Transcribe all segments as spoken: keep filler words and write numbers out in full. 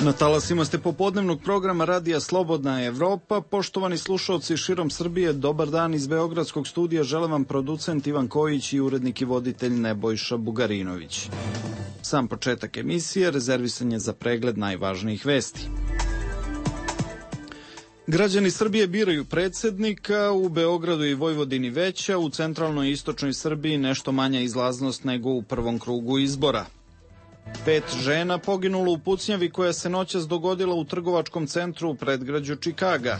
Na talasima ste popodnevnog programa Radija Slobodna Evropa. Poštovani slušalci širom Srbije, dobar dan iz Beogradskog studija. Žele vam producent Ivan Kojić i urednik i voditelj Nebojša Bugarinović. Sam početak emisije rezervisan je za pregled najvažnijih vesti. Građani Srbije biraju predsednika, u Beogradu i Vojvodini veća, u centralnoj i istočnoj Srbiji nešto manja izlaznost nego u prvom krugu izbora. Pet žena poginulo u pucnjavi koja se noćas dogodila u trgovačkom centru u predgrađu Čikaga.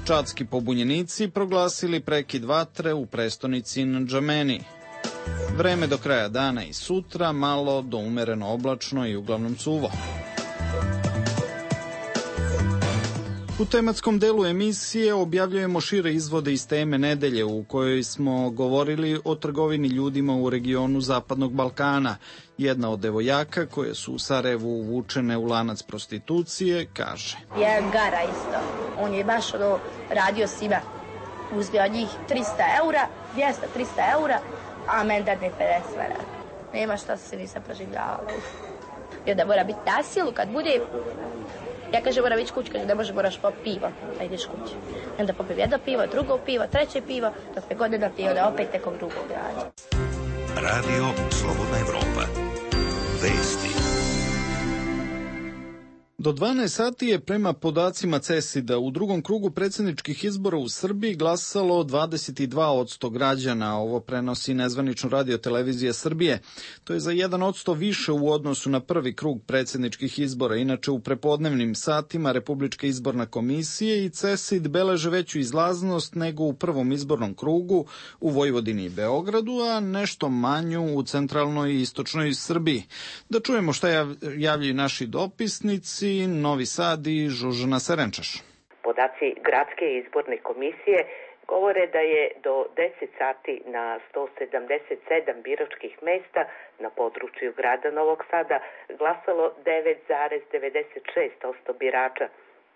Čadski pobunjenici proglasili prekid vatre u prestonici Ndžameni. Vreme do kraja dana i sutra malo do umereno oblačno i uglavnom suvo. U tematskom delu emisije objavljujemo šire izvode iz teme nedelje u kojoj smo govorili o trgovini ljudima u regionu Zapadnog Balkana. Jedna od devojaka koje su u Sarajevu uvučene u lanac prostitucije kaže: Je gara isto. On je baš ono radio svima. Uzeo njih trista eura, dvjesto do trista eura, a men dadne pedeset eura. Nema šta se nisam proživljavala. I onda mora biti na silu kad bude... Ja kažem, moram ići kući, kaže, ne može, moraš popiti pivo, da ideš kući. I onda popim jedno pivo, drugo pivo, treće pivo, dok me godine pije, onda opet nekog drugog rađa. Radio Slobodna Evropa. Vesti. Do dvanaest sati je prema podacima CESID-a u drugom krugu predsjedničkih izbora u Srbiji glasalo dvadeset dva posto građana. Ovo prenosi nezvanično Radio Televizija Srbije. To je za jedan posto više u odnosu na prvi krug predsjedničkih izbora. Inače, u prepodnevnim satima Republička izborna komisija i CESID beleže veću izlaznost nego u prvom izbornom krugu u Vojvodini i Beogradu, a nešto manju u centralnoj i istočnoj Srbiji. Da čujemo šta javljaju naši dopisnici. Novi Sad i Žužana Serenčaš. Podaci Gradske izborne komisije govore da je do deset sati na sto sedamdeset sedam biračkih mesta na području grada Novog Sada glasalo devet zarez devedeset šest posto birača,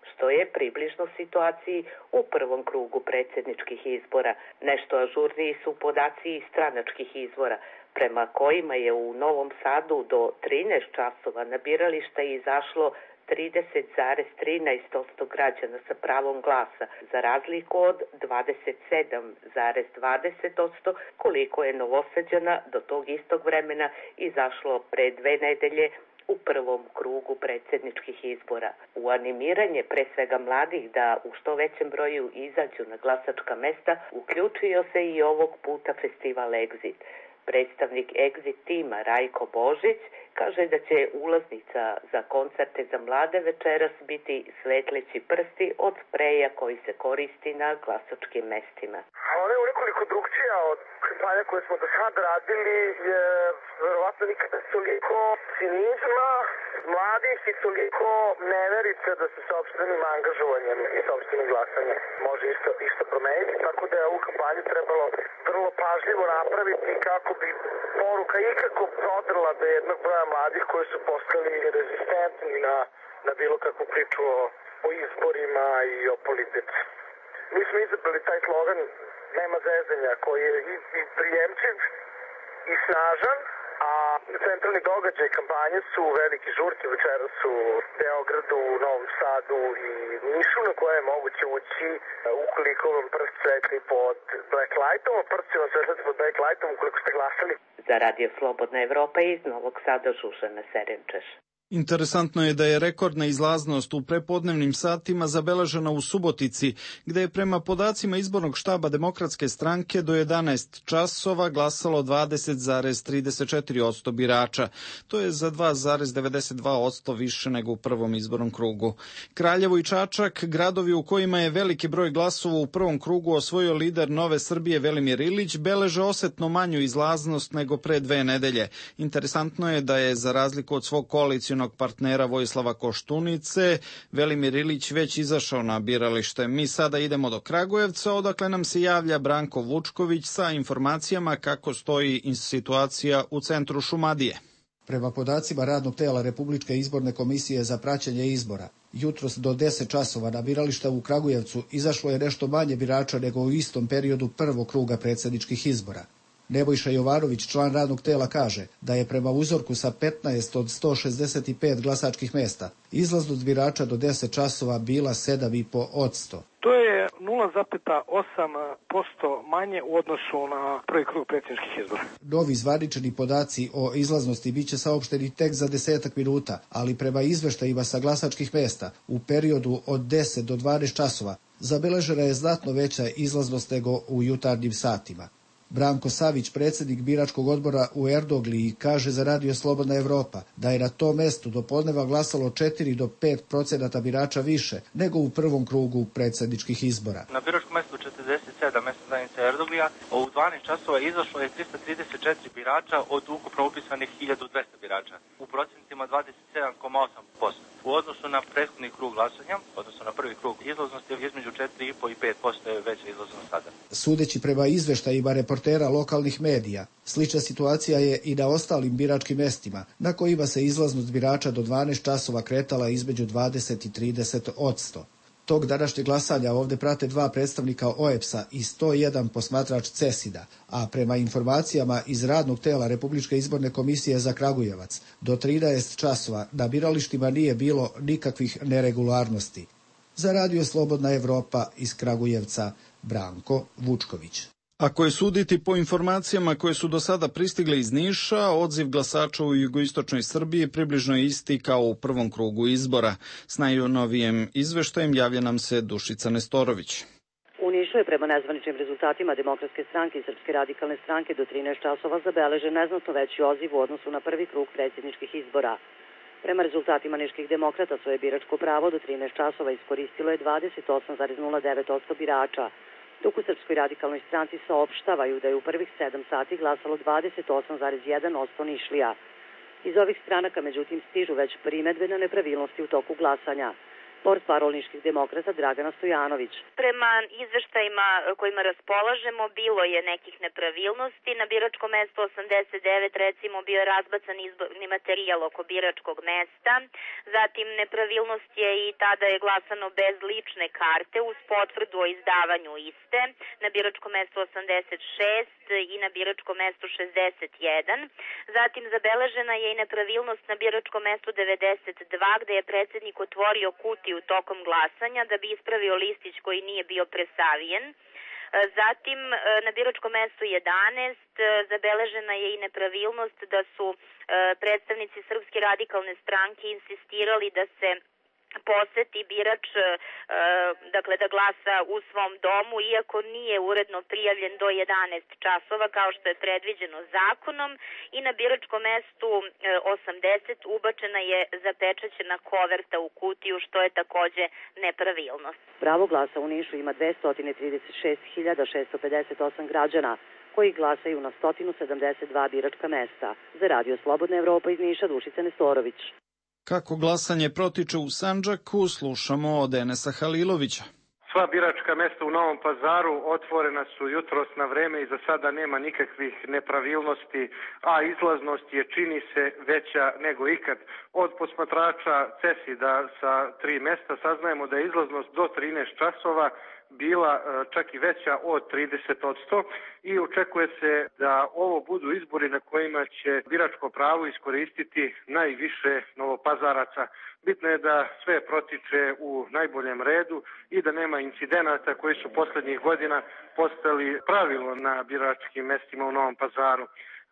što je približno situaciji u prvom krugu predsjedničkih izbora. Nešto ažurniji su podaci iz stranačkih izvora, prema kojima je u Novom Sadu do trinaest časova na birališta izašlo trideset zarez trinaest posto građana sa pravom glasa, za razliku od dvadeset sedam zarez dvadeset posto koliko je Novosađana do tog istog vremena izašlo pre dve nedelje u prvom krugu predsjedničkih izbora. U animiranje pre svega mladih da u što većem broju izađu na glasačka mesta uključio se i ovog puta festival Exit. Predstavnik Exit tima Rajko Božić kaže da će ulaznica za koncerte za mlade večeras biti svetleći prsti od spreja koji se koristi na glasačkim mestima. Ona je unekoliko drugčija od kampanja koje smo do sad radili, je verovatno nikada toliko cinizma mladih i toliko neverice da se sopstvenim angažovanjem i sopstvenim glasanjem može isto, isto promeniti, tako da je ovu kampanju trebalo vrlo pažljivo napraviti kako bi poruka ikako prodrla do jednog broja mladih koji su postali rezistentni na, na bilo kakvu priču o, o izborima i o politici. Mi smo izabrali taj slogan "Nema zezanja", koji je i, i prijemčiv i snažan, a centralni događaj kampanje su veliki žurke večeras u Beogradu, Novom Sadu i Nišu, na koje je moguće ući ukoliko vam prst svetli pod black lightom, a prst će vam svetliti pod black lightom ukoliko ste glasali. Za Radio Slobodna Evropa iz Novog Sada Žužana Serenčaš. Interesantno je da je rekordna izlaznost u prepodnevnim satima zabeležena u Subotici, gde je prema podacima izbornog štaba Demokratske stranke do jedanaest časova glasalo dvadeset zarez trideset četiri posto birača. To je za dva zarez devedeset dva posto više nego u prvom izbornom krugu. Kraljevo i Čačak, gradovi u kojima je veliki broj glasova u prvom krugu osvojio lider Nove Srbije Velimir Ilić, beleže osetno manju izlaznost nego pre dve nedelje. Interesantno je da je za razliku od svog koalicionog partnera Vojislava Koštunice, Velimir Ilić već izašao na biralište. Mi sada idemo do Kragujevca, odakle nam se javlja Branko Vučković sa informacijama kako stoji situacija u centru Šumadije. Prema podacima radnog tela Republičke izborne komisije za praćenje izbora, jutros do deset časova na birališta u Kragujevcu izašlo je nešto manje birača nego u istom periodu prvog kruga predsjedničkih izbora. Nebojša Jovanović, član radnog tela, kaže da je prema uzorku sa petnaest od sto šezdeset pet glasačkih mesta izlaznost birača do deset časova bila sedam i po odsto. To je nula zarez osam posto manje u odnosu na prvi krug predsjedničkih izbora. Novi zvanični podaci o izlaznosti biće saopšteni tek za desetak minuta, ali prema izveštajima sa glasačkih mesta u periodu od deset do dvanaest časova zabeležena je znatno veća izlaznost nego u jutarnjim satima. Branko Savić, predsjednik biračkog odbora u Erdogliji, kaže za Radio Slobodna Evropa da je na tom mestu do podneva glasalo četiri do pet procenata birača više nego u prvom krugu predsjedničkih izbora. Na biračkom mestu četrdeset sedam mesta zajednice Erdoglija u dvanaest časova izašlo je trista trideset četiri birača od ukupno upisanih hiljadu dvesta birača, u procentima dvadeset sedam zarez osam posto. U odnosu na prethodni krug glasanja, odnosno na prvi krug izlaznosti, između četiri i po i pet posto je veća izlaznost sada. Sudeći prema izveštajima reportera lokalnih medija, slična situacija je i na ostalim biračkim mestima, na kojima se izlaznost birača do dvanaest časova kretala između dvadeset i trideset odsto. Tog današnjeg glasanja ovdje prate dva predstavnika O E P S-a i sto jedan posmatrač CESID-a, a prema informacijama iz radnog tela Republičke izborne komisije za Kragujevac, do trinaest časova na biralištima nije bilo nikakvih neregularnosti. Za Radio Slobodna Evropa iz Kragujevca, Branko Vučković. Ako je suditi po informacijama koje su do sada pristigle iz Niša, odziv glasača u jugoistočnoj Srbiji približno je isti kao u prvom krugu izbora. S najnovijem izveštajem javlja nam se Dušica Nestorović. U Nišu je prema nezvaničnim rezultatima Demokratske stranke i Srpske radikalne stranke do trinaest časova zabeležen neznatno veći odziv u odnosu na prvi krug predsjedničkih izbora. Prema rezultatima niških demokrata svoje biračko pravo do trinaest časova iskoristilo je dvadeset osam zarez nula devet posto birača, dok u Srpskoj radikalnoj stranci saopštavaju da je u prvih sedam sati glasalo dvadeset osam zarez jedan posto Nišlija. Iz ovih stranaka, međutim, stižu već primedbe na nepravilnosti u toku glasanja. Portparol niških demokrata Dragana Stojanović. Prema izveštajima kojima raspolažemo, bilo je nekih nepravilnosti. Na biračkom mestu osamdeset devet recimo bio je razbacan izborni materijal oko biračkog mesta. Zatim nepravilnost je i tada je glasano bez lične karte uz potvrdu o izdavanju iste. Na biračkom mestu osamdeset šest i na biračkom mestu šezdeset jedan. Zatim zabeležena je i nepravilnost na biračkom mestu devedeset dva gde je predsjednik otvorio kutiju tokom glasanja da bi ispravio listić koji nije bio presavijen. Zatim na biračkom mestu jedanaest zabeležena je i nepravilnost da su predstavnici Srpske radikalne stranke insistirali da se poseti birač, dakle da glasa u svom domu, iako nije uredno prijavljen do jedanaest časova kao što je predviđeno zakonom, i na biračkom mestu osamdeset ubačena je zapečaćena koverta u kutiju, što je takođe nepravilnost. Pravo glasa u Nišu ima dvesta trideset šest hiljada šesto pedeset osam građana koji glasaju na sto sedamdeset dva biračka mesta. Za Radio Slobodna Evropa iz Niša, Dušica Nestorović. Kako glasanje protiče u Sandžaku, slušamo od Enesa Halilovića. Sva biračka mesta u Novom Pazaru otvorena su jutros na vreme i za sada nema nikakvih nepravilnosti, a izlaznost je, čini se, veća nego ikad. Od posmatrača CESID-a sa tri mesta saznajemo da je izlaznost do trinaest časova bila čak i veća od trideset odsto i očekuje se da ovo budu izbori na kojima će biračko pravo iskoristiti najviše Novopazaraca. Bitno je da sve protiče u najboljem redu i da nema incidenata koji su poslednjih godina postali pravilo na biračkim mestima u Novom Pazaru.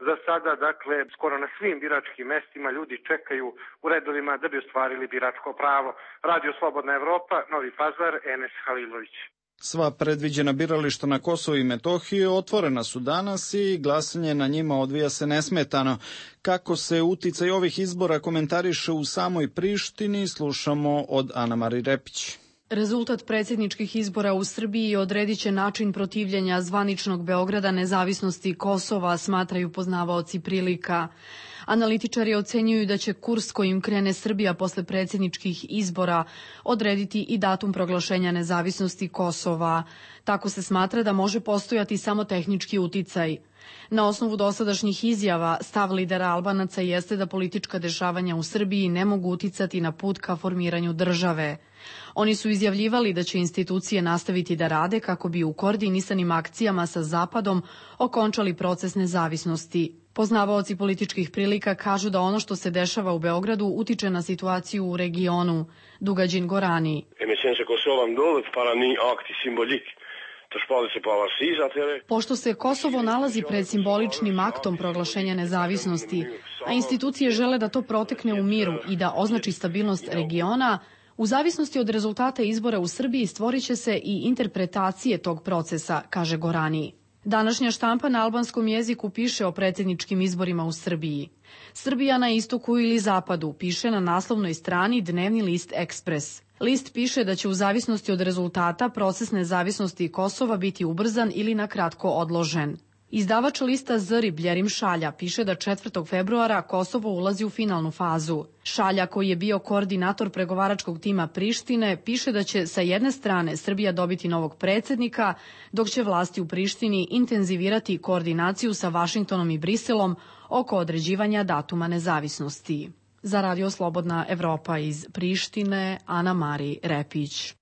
Za sada, dakle, skoro na svim biračkim mestima ljudi čekaju u redovima da bi ostvarili biračko pravo. Radio Slobodna Evropa, Novi Pazar, Enes Halilović. Sva predviđena birališta na Kosovu i Metohiji otvorena su danas i glasanje na njima odvija se nesmetano. Kako se uticaj ovih izbora komentariše u samoj Prištini, slušamo od Ana-Mari Repić. Rezultat predsjedničkih izbora u Srbiji odredit će način protivljenja zvaničnog Beograda nezavisnosti Kosova, smatraju poznavaoci prilika. Analitičari ocenjuju da će kurs kojim krene Srbija posle predsjedničkih izbora odrediti i datum proglašenja nezavisnosti Kosova. Tako se smatra da može postojati samo tehnički uticaj. Na osnovu dosadašnjih izjava, stav lidera Albanaca jeste da politička dešavanja u Srbiji ne mogu uticati na put ka formiranju države. Oni su izjavljivali da će institucije nastaviti da rade kako bi u koordinisanim akcijama sa Zapadom okončali proces nezavisnosti. Poznavaoci političkih prilika kažu da ono što se dešava u Beogradu utiče na situaciju u regionu. Dugađin Gorani. Pošto se Kosovo nalazi pred simboličnim aktom proglašenja nezavisnosti, a institucije žele da to protekne u miru i da označi stabilnost regiona, u zavisnosti od rezultata izbora u Srbiji stvorit će se i interpretacije tog procesa, kaže Gorani. Današnja štampa na albanskom jeziku piše o predsjedničkim izborima u Srbiji. Srbija na istoku ili zapadu, piše na naslovnoj strani dnevni list Ekspres. List piše da će u zavisnosti od rezultata proces nezavisnosti Kosova biti ubrzan ili na kratko odložen. Izdavač lista Zri Bljerim Šalja piše da četvrtog februara Kosovo ulazi u finalnu fazu. Šalja, koji je bio koordinator pregovaračkog tima Prištine, piše da će sa jedne strane Srbija dobiti novog predsjednika, dok će vlasti u Prištini intenzivirati koordinaciju sa Vašingtonom i Briselom oko određivanja datuma nezavisnosti. Za Radio Slobodna Evropa iz Prištine, Ana Mari Repić.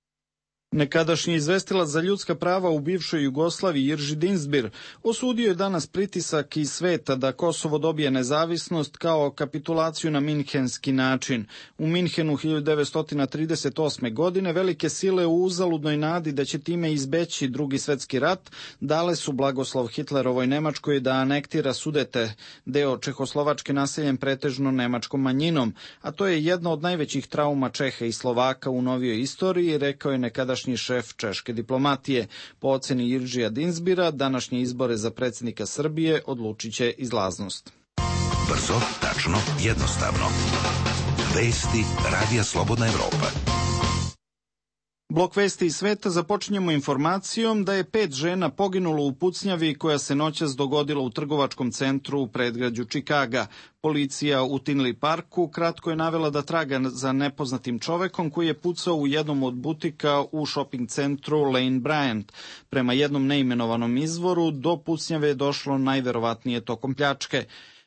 Nekadašnji izvestilac za ljudska prava u bivšoj Jugoslaviji Jirži Dinzbir osudio je danas pritisak iz sveta da Kosovo dobije nezavisnost kao kapitulaciju na minhenski način. U Minhenu hiljadu devetsto trideset osme. godine velike sile u uzaludnoj nadi da će time izbeći drugi svetski rat dale su blagoslov Hitlerovoj Nemačkoj da anektira Sudete, deo Čehoslovačke naseljen pretežno nemačkom manjinom, a to je jedna od najvećih trauma Čeha i Slovaka u novijoj istoriji, rekao je nekadašnji šef češke diplomatije. Po oceni Jiržija Dinzbira, današnje izbore za predsjednika Srbije odlučit će izlaznost. Brzo, tačno, jednostavno. Vesti Radija Slobodna Evropa. Blok vesti iz sveta započinjemo informacijom da je pet žena poginulo u pucnjavi koja se noćas dogodila u trgovačkom centru u predgrađu Čikaga. Policija u Tinley Parku kratko je navela da traga za nepoznatim čovekom koji je pucao u jednom od butika u shopping centru Lane Bryant. Prema jednom neimenovanom izvoru, do pucnjave je došlo najverovatnije tokom pljačke.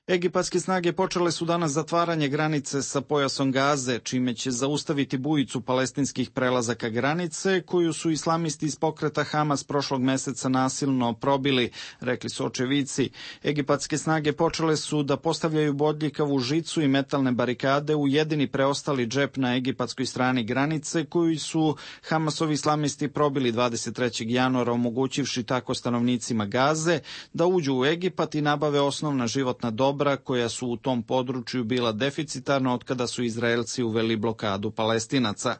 Egipatske snage počele su danas zatvaranje granice sa pojasom Gaze, čime će zaustaviti bujicu palestinskih prelazaka granice, koju su islamisti iz pokreta Hamas prošlog meseca nasilno probili, rekli su očevici. Egipatske snage počele su da postavljaju bodljikavu žicu i metalne barikade u jedini preostali džep na egipatskoj strani granice, koju su Hamasovi islamisti probili dvadeset trećeg januara, omogućivši tako stanovnicima Gaze da uđu u Egipat i nabave osnovna životna dobra koja su u tom području bila deficitarna od kada su Izraelci uveli blokadu Palestinaca.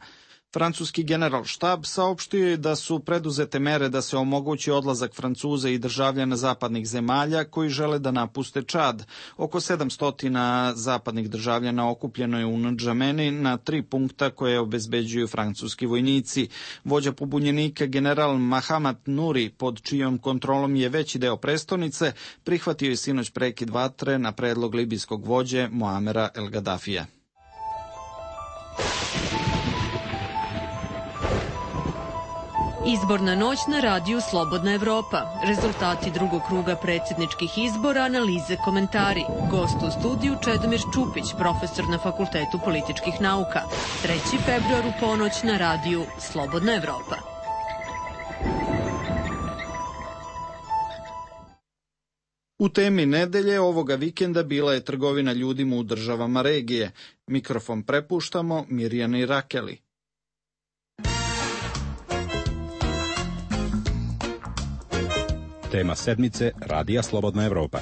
Francuski generalštab saopštio je da su preduzete mere da se omogući odlazak Francuza i državljana zapadnih zemalja koji žele da napuste Čad. Oko sedamsto zapadnih državljana okupljeno je u Ndžameni na tri punkta koje obezbeđuju francuski vojnici. Vođa pobunjenika general Mahamat Nuri, pod čijom kontrolom je veći deo prestonice, prihvatio je sinoć prekid vatre na predlog libijskog vođe Muamera El Gaddafija. Izborna noć na radiju Slobodna Evropa. Rezultati drugog kruga predsjedničkih izbora, analize, komentari. Gost u studiju Čedomir Čupić, profesor na Fakultetu političkih nauka. treći februar u ponoć na radiju Slobodna Evropa. U temi nedelje ovoga vikenda bila je trgovina ljudima u državama regije. Mikrofon prepuštamo Mirjani Rakeli. Tema sedmice Radija Slobodna Evropa.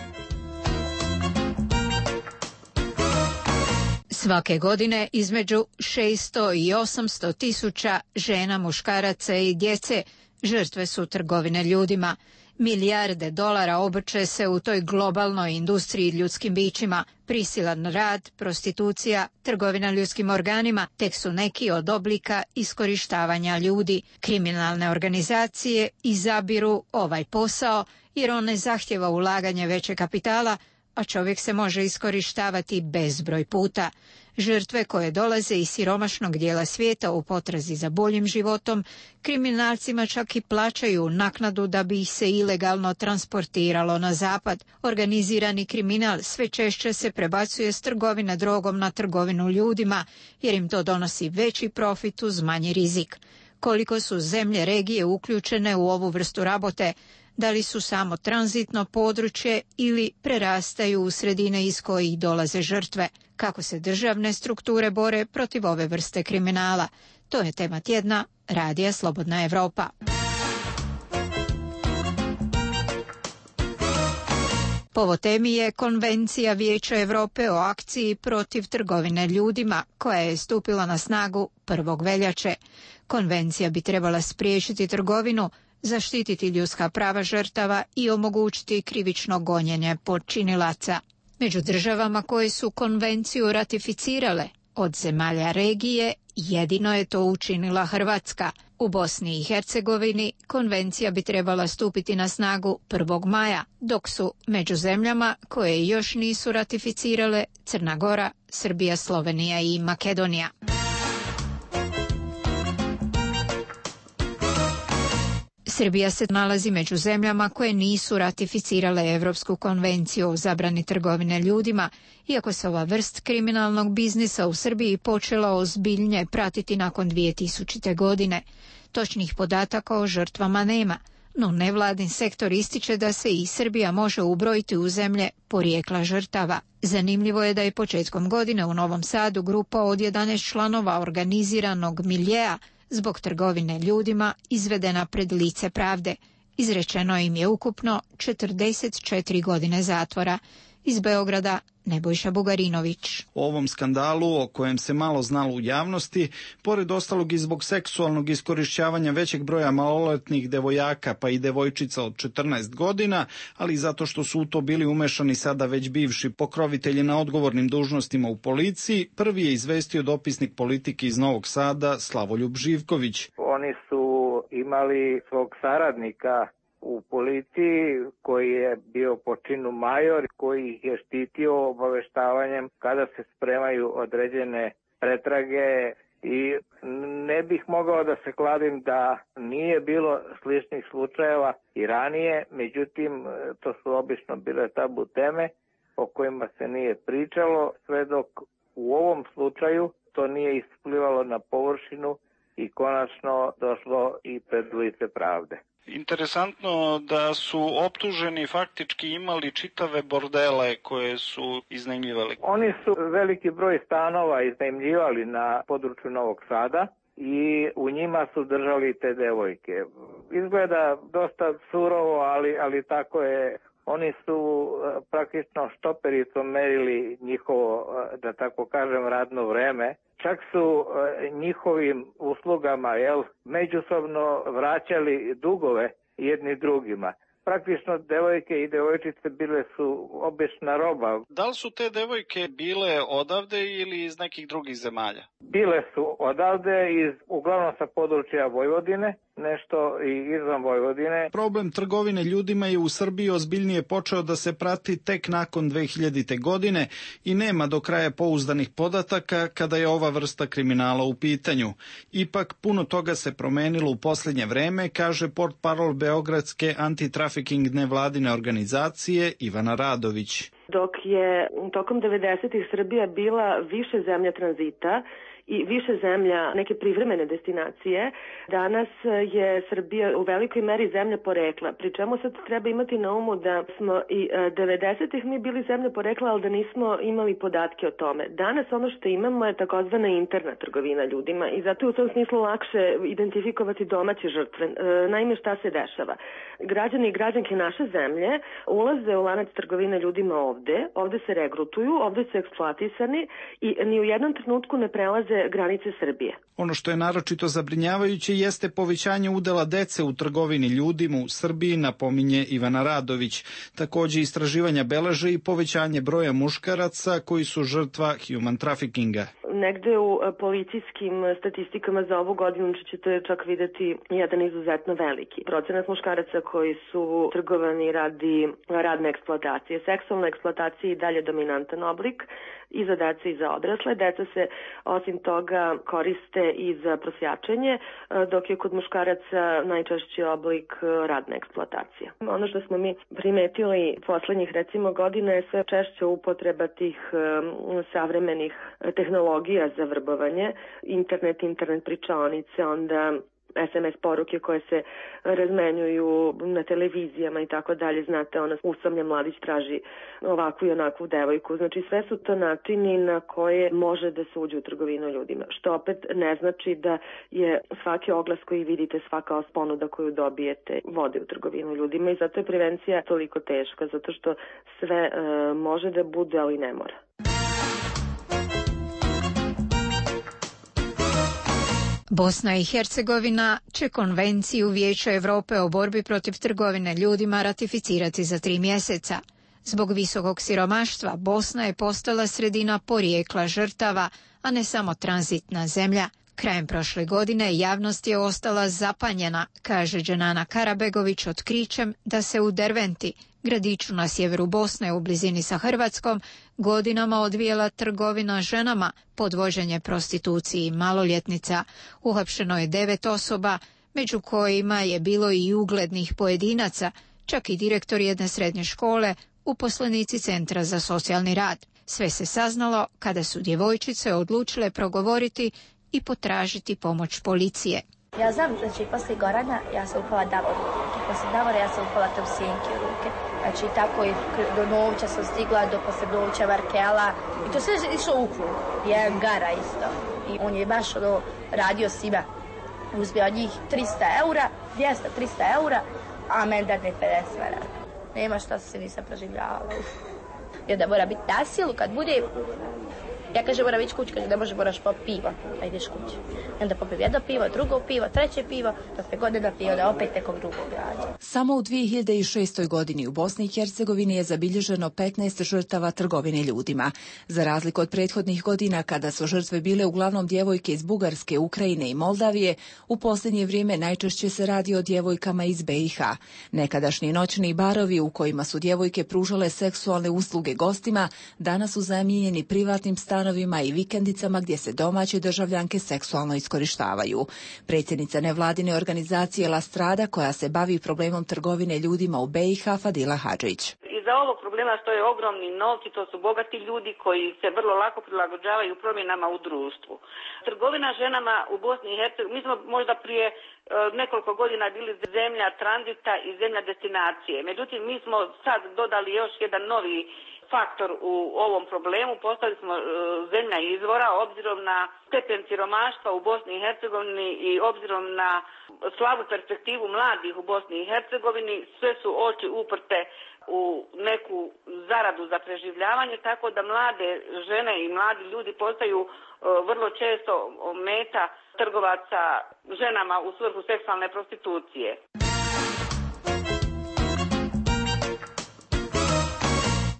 Svake godine između šesto i osamsto tisuća žena, muškaraca i djece žrtve su trgovine ljudima. Milijarde dolara obrće se u toj globalnoj industriji ljudskim bićima. Prisilan rad, prostitucija, trgovina ljudskim organima tek su neki od oblika iskorištavanja ljudi. Kriminalne organizacije izabiru ovaj posao jer on ne zahtjeva ulaganje veće kapitala, a čovjek se može iskorištavati bezbroj puta. Žrtve koje dolaze iz siromašnog dijela svijeta u potrazi za boljim životom, kriminalcima čak i plaćaju naknadu da bi ih se ilegalno transportiralo na zapad. Organizirani kriminal sve češće se prebacuje s trgovine drogom na trgovinu ljudima, jer im to donosi veći profit uz manji rizik. Koliko su zemlje regije uključene u ovu vrstu rabote, da li su samo tranzitno područje ili prerastaju u sredine iz kojih dolaze žrtve, kako se državne strukture bore protiv ove vrste kriminala. To je tema tjedna Radija Slobodna Evropa. Povod temi je Konvencija Vijeća Europe o akciji protiv trgovine ljudima, koja je stupila na snagu prvog veljače. Konvencija bi trebala spriječiti trgovinu, zaštititi ljudska prava žrtava i omogućiti krivično gonjenje počinilaca. Među državama koje su konvenciju ratificirale od zemalja regije, jedino je to učinila Hrvatska. U Bosni i Hercegovini konvencija bi trebala stupiti na snagu prvog maja, dok su među zemljama koje još nisu ratificirale Crna Gora, Srbija, Slovenija i Makedonija. Srbija se nalazi među zemljama koje nisu ratificirale Europsku konvenciju o zabrani trgovine ljudima, iako se ova vrst kriminalnog biznisa u Srbiji počela ozbiljnije pratiti nakon dvije tisućite. godine. Točnih podataka o žrtvama nema, no nevladin sektor ističe da se i Srbija može ubrojiti u zemlje porijekla žrtava. Zanimljivo je da je početkom godine u Novom Sadu grupa od jedanaest članova organiziranog miljea zbog trgovine ljudima izvedena pred lice pravde. Izrečeno im je ukupno četrdeset četiri godine zatvora. Iz Beograda Nebojša Bugarinović. O ovom skandalu, o kojem se malo znalo u javnosti, pored ostalog i zbog seksualnog iskorišćavanja većeg broja maloletnih devojaka pa i devojčica od četrnaest godina, ali i zato što su u to bili umešani sada već bivši pokrovitelji na odgovornim dužnostima u policiji, prvi je izvestio dopisnik politike iz Novog Sada Slavoljub Živković. Oni su imali svog saradnika u policiji koji je bio po činu major, koji ih je štitio obaveštavanjem kada se spremaju određene pretrage i ne bih mogao da se kladim da nije bilo sličnih slučajeva i ranije, međutim to su obično bile tabu teme o kojima se nije pričalo, sve dok u ovom slučaju to nije isplivalo na površinu i konačno došlo i pred lice pravde. Interesantno da su optuženi faktički imali čitave bordele koje su iznajmljivali. Oni su veliki broj stanova iznajmljivali na području Novog Sada i u njima su držali te devojke. Izgleda dosta surovo, ali, ali tako je. Oni su praktično štopericom merili njihovo, da tako kažem, radno vreme. Čak su njihovim uslugama jel, međusobno vraćali dugove jedni drugima. Praktično devojke i devojčice bile su obična roba. Da li su te devojke bile odavde ili iz nekih drugih zemalja? Bile su odavde, iz, uglavnom sa područja Vojvodine, nešto i izvan Vojvodine. Problem trgovine ljudima je u Srbiji ozbiljnije počeo da se prati tek nakon dve hiljadite. godine i nema do kraja pouzdanih podataka kada je ova vrsta kriminala u pitanju. Ipak puno toga se promenilo u posljednje vreme, kaže portparol Beogradske antitrafiking nevladine organizacije Ivana Radović. Dok je tokom devedesetih Srbija bila više zemlja tranzita i više zemlja neke privremene destinacije, danas je Srbija u velikoj meri zemlja porekla. Pri čemu sad treba imati na umu da smo i devedesetih mi bili zemlja porekla, ali da nismo imali podatke o tome. Danas ono što imamo je takozvana interna trgovina ljudima i zato je u tom smislu lakše identifikovati domaće žrtve. Naime, šta se dešava? Građani i građanke naše zemlje ulaze u lanac trgovine ljudima ovde, ovde se regrutuju, ovde su eksploatisani i ni u jednom trenutku ne prelaze prelaze granice Srbije. Ono što je naročito zabrinjavajuće jeste povećanje udela dece u trgovini ljudima u Srbiji, napominje Ivana Radović. Takođe istraživanja beleže i povećanje broja muškaraca koji su žrtva human traffickinga. Negde u policijskim statistikama za ovu godinu ćete čak videti jedan izuzetno veliki procenat muškaraca koji su trgovani radi radne eksploatacije. Seksualna eksploatacija je i dalje dominantan oblik i za decu i za odrasle. Deca se osim toga koriste i za prosjačenje, dok je kod muškaraca najčešći oblik radne eksploatacije. Ono što smo mi primetili poslednjih recimo godina je sve češća upotreba tih savremenih tehnologija za vrbovanje, internet, internet pričaonice, onda es em es poruke koje se razmenjuju na televizijama i tako dalje. Znate, ono, usamljen mladić traži ovakvu i onakvu devojku. Znači, sve su to načini na koje može da se uđe u trgovinu ljudima. Što opet ne znači da je svaki oglas koji vidite, svaka ponuda koju dobijete, vode u trgovinu ljudima i zato je prevencija toliko teška, zato što sve e, može da bude, ali ne mora. Bosna i Hercegovina će konvenciju Vijeća Europe o borbi protiv trgovine ljudima ratificirati za tri mjeseca. Zbog visokog siromaštva Bosna je postala sredina porijekla žrtava, a ne samo tranzitna zemlja. Krajem prošle godine javnost je ostala zapanjena, kaže Dženana Karabegović otkrićem da se u Derventi, gradiću na sjeveru Bosne u blizini sa Hrvatskom, godinama odvijela trgovina ženama, podvoženje prostituciji maloljetnica. Uhapšeno je devet osoba, među kojima je bilo i uglednih pojedinaca, čak i direktor jedne srednje škole, uposlenici Centra za socijalni rad. Sve se saznalo kada su djevojčice odlučile progovoriti i potražiti pomoć policije. Ja znam, znači, poslije goranja ja sam upala Davoru u ruke. Poslije Davora ja sam upala Topsijenki u ruke. Znači, tako i do Novuća sam stigla, do poslije Novuća Varkela. I to sve je išlo u krug. Jedan gara isto. I on je baš ono, radio svima. Uzbio od njih trista eura, dvjesto do trista eura, a meni dadne pedeset maraka. Nema šta se nisam proživljavala. I onda mora biti na silu kad bude. Ja kažem, moram ići kući, kaže, ne može, moraš popiti pivo, a ideš kući. I onda popijem jedno pivo, drugo pivo, treće pivo, dok me godine pivo, da opet nekog drugog rađa. Samo u dvije hiljade šestoj. godini u Bosni i Hercegovini je zabilježeno petnaest žrtava trgovine ljudima. Za razliku od prethodnih godina, kada su žrtve bile uglavnom djevojke iz Bugarske, Ukrajine i Moldavije, u posljednje vrijeme najčešće se radi o djevojkama iz be i ha. Nekadašnji noćni barovi u kojima su djevojke pružale seksualne usluge gostima, danas su zamijenjeni privatnim stanovima i vikendicama gdje se domaće državljanke seksualno iskorištavaju. Predsjednica nevladine organizacije La Strada, koja se bavi problemom trgovine ljudima u be i ha, Fadila Hadžić. Iza ovog problema stoje ogromni novci, to su bogati ljudi koji se vrlo lako prilagođavaju promjenama u društvu. Trgovina ženama u Bosni i Hercegovini, mi smo možda prije e, nekoliko godina bili zemlja tranzita i zemlja destinacije. Međutim, mi smo sad dodali još jedan novi faktor u ovom problemu, postali smo e, zemlja izvora obzirom na stepen siromaštva u Bosni i Hercegovini i obzirom na slabu perspektivu mladih u Bosni i Hercegovini, sve su oči uprte u neku zaradu za preživljavanje, tako da mlade žene i mladi ljudi postaju e, vrlo često meta trgovaca ženama u svrhu seksualne prostitucije.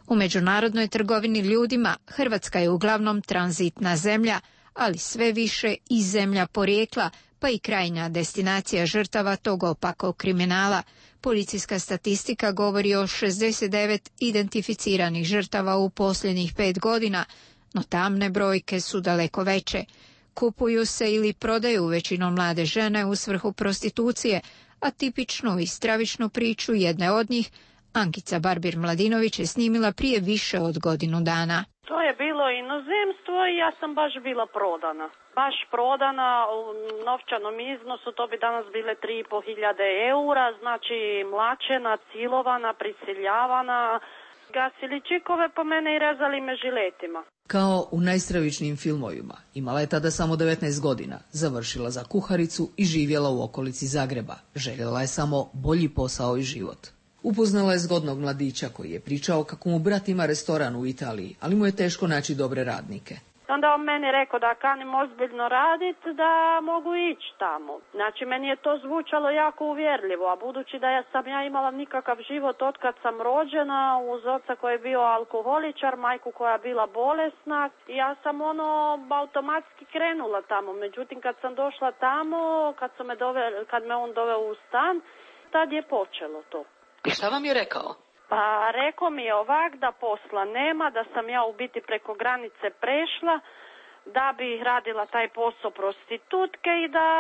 U međunarodnoj trgovini ljudima Hrvatska je uglavnom tranzitna zemlja, ali sve više i zemlja porijekla, pa i krajnja destinacija žrtava tog opakog kriminala. Policijska statistika govori o šezdeset devet identificiranih žrtava u posljednjih pet godina, no tamne brojke su daleko veće. Kupuju se ili prodaju većinom mlade žene u svrhu prostitucije, a tipičnu i stravičnu priču jedne od njih Ankica Barbir-Mladinović je snimila prije više od godinu dana. To je bilo inozemstvo i ja sam baš bila prodana. Baš prodana u novčanom iznosu, to bi danas bile tri i pol hiljade eura, znači mlačena, cilovana, prisiljavana. Gasili čikove po mene i rezali me žiletima. Kao u najstravičnijim filmovima, imala je tada samo devetnaest godina, završila za kuharicu i živjela u okolici Zagreba. Željela je samo bolji posao i život. Upoznala je zgodnog mladića koji je pričao kako mu brat ima restoran u Italiji, ali mu je teško naći dobre radnike. Onda on meni rekao da kanim ozbiljno raditi, da mogu ići tamo. Znači, meni je to zvučalo jako uvjerljivo, a budući da ja sam ja imala nikakav život otkad sam rođena, uz oca koji je bio alkoholičar, majku koja je bila bolesna, ja sam ono automatski krenula tamo. Međutim, kad sam došla tamo, kad, sam me, dove, kad me on doveo u stan, tad je počelo to. I šta vam je rekao? Pa rekao mi je ovak da posla nema, da sam ja u biti preko granice prešla, da bi radila taj posao prostitutke i da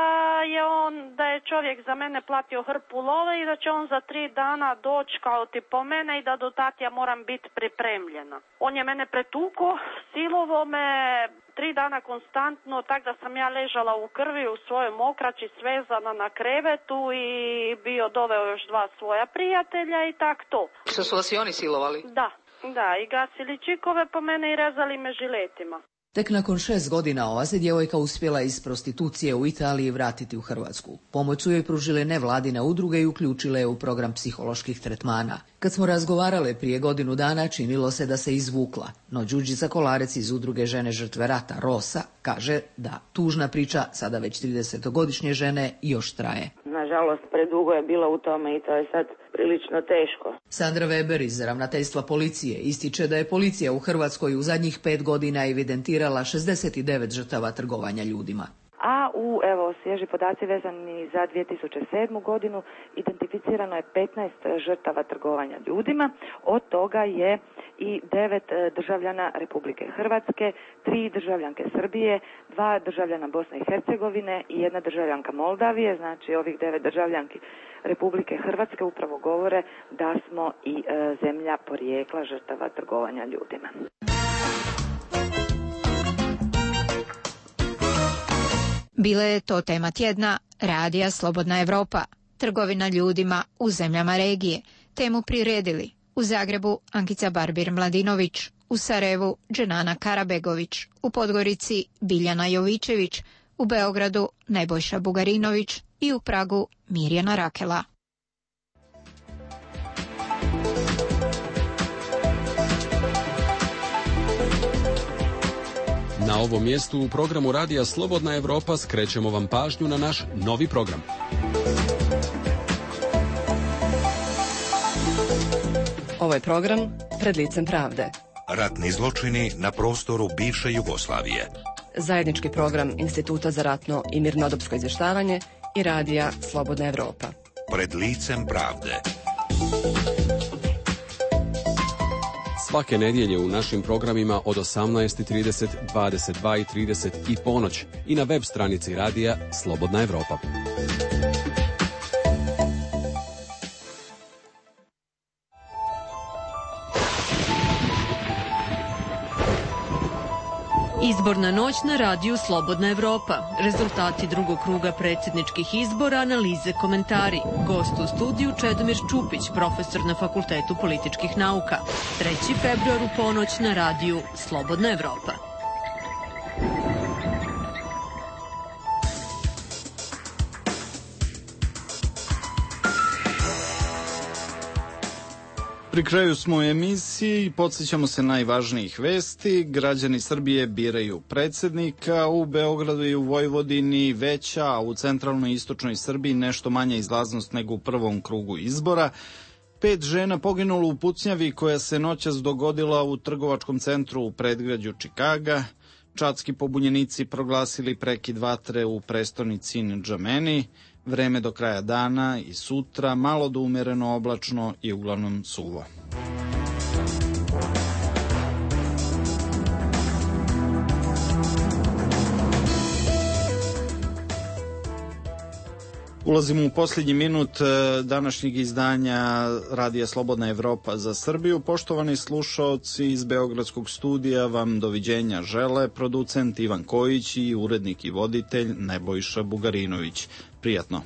je on, da je čovjek za mene platio hrpu love i da će on za tri dana doći kao ti po mene i da do tad ja moram biti pripremljena. On je mene pretuko, silovo me tri dana konstantno, tak da sam ja ležala u krvi u svojoj mokraći svezana na krevetu i bio doveo još dva svoja prijatelja i tak to. Što su vas i oni silovali? Da, da, i gasili čikove po mene i rezali me žiletima. Tek nakon šest godina ova se djevojka uspjela iz prostitucije u Italiji vratiti u Hrvatsku. Pomoć su joj pružile nevladine udruge i uključile je u program psiholoških tretmana. Kad smo razgovarale prije godinu dana, činilo se da se izvukla, no Đurđica Kolarec iz udruge Žene žrtve rata Rosa kaže da tužna priča sada već tridesetogodišnje žene još traje. Nažalost, predugo je bila u tome i to je sad prilično teško. Sandra Weber iz ravnateljstva policije ističe da je policija u Hrvatskoj u zadnjih pet godina evidentirala šezdeset devet žrtava trgovanja ljudima. A u, evo, svježi podaci vezani za dvije tisuće sedmu godinu identificirano je petnaest žrtava trgovanja ljudima, od toga je i devet državljana Republike Hrvatske, tri državljanke Srbije, dva državljana Bosne i Hercegovine i jedna državljanka Moldavije, znači ovih devet državljanki Republike Hrvatske upravo govore da smo i e, zemlja porijekla žrtava trgovanja ljudima. Bila je to tema tjedna Radija Slobodna Evropa, trgovina ljudima u zemljama regije. Temu priredili u Zagrebu Ankica Barbir-Mladinović, u Sarajevu Dženana Karabegović, u Podgorici Biljana Jovičević, u Beogradu Nebojša Bugarinović i u Pragu Mirjana Rakela. Na ovom mjestu u programu Radija Slobodna Evropa skrećemo vam pažnju na naš novi program. Ovo je program Pred licem pravde. Ratni zločini na prostoru bivše Jugoslavije. Zajednički program Instituta za ratno i mirnodopsko izvještavanje i Radija Slobodna Evropa. Pred licem pravde. Svake nedjelje u našim programima od osamnaest i trideset, dvadeset dva i trideset i ponoć i na web stranici Radija Slobodna Evropa. Izborna noć na radiju Slobodna Evropa. Rezultati drugog kruga predsjedničkih izbora, analize, komentari. Gost u studiju Čedomir Čupić, profesor na Fakultetu političkih nauka. treći februar u ponoć na radiju Slobodna Evropa. Pri kraju smo u emisiji, podsjećamo se najvažnijih vesti. Građani Srbije biraju predsjednika, u Beogradu i u Vojvodini veća, a u centralnoj i istočnoj Srbiji nešto manja izlaznost nego u prvom krugu izbora. Pet žena poginulo u pucnjavi koja se noćas dogodila u trgovačkom centru u predgrađu Čikaga. Čadski pobunjenici proglasili prekid vatre u prestonici Ndžameni. Vreme do kraja dana i sutra malo do umereno oblačno i uglavnom suvo. Ulazimo u posljednji minut današnjeg izdanja Radija Slobodna Evropa za Srbiju. Poštovani slušaoci, iz Beogradskog studija vam doviđenja žele producent Ivan Kojić i urednik i voditelj Nebojša Bugarinović. Prijatno.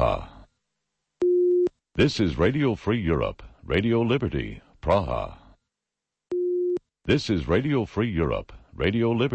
Praha. This is Radio Free Europe, Radio Liberty, Praha. This is Radio Free Europe, Radio Liberty.